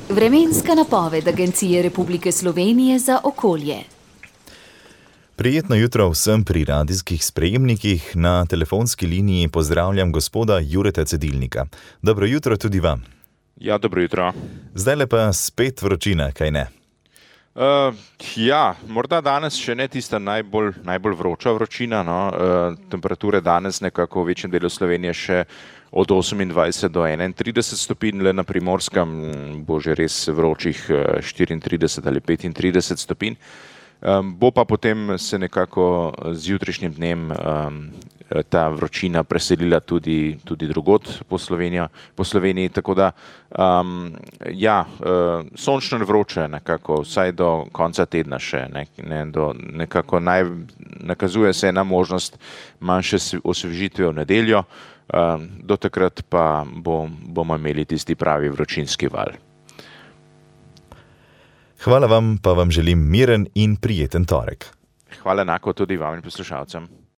Vremenska napoved Agencije Republike Slovenije za okolje. Prijetno jutro vsem pri radijskih sprejemnikih. Na telefonski liniji pozdravljam gospoda Jureta Cedilnika. Dobro jutro tudi vam. Ja, dobro jutro. Zdajle pa spet vročina, kaj ne? Morda danes še ne tista najbolj vroča vročina. Temperature danes nekako v večjem delu Slovenije še od 28 do 31 stopinj, le na Primorskem bo že res vročih 34 ali 35 stopinj. Bo pa potem se nekako z jutrišnjim dnem ta vročina preselila tudi drugod po Sloveniji, tako da sončno in vroče nekako vsaj do konca tedna še, nekako nakazuje se ena možnost manjše osvežitve v nedeljo, do takrat pa bomo imeli tisti pravi vročinski val. Hvala vam, pa vam želim miren in prijeten torek. Hvala enako tudi vam in poslušalcem.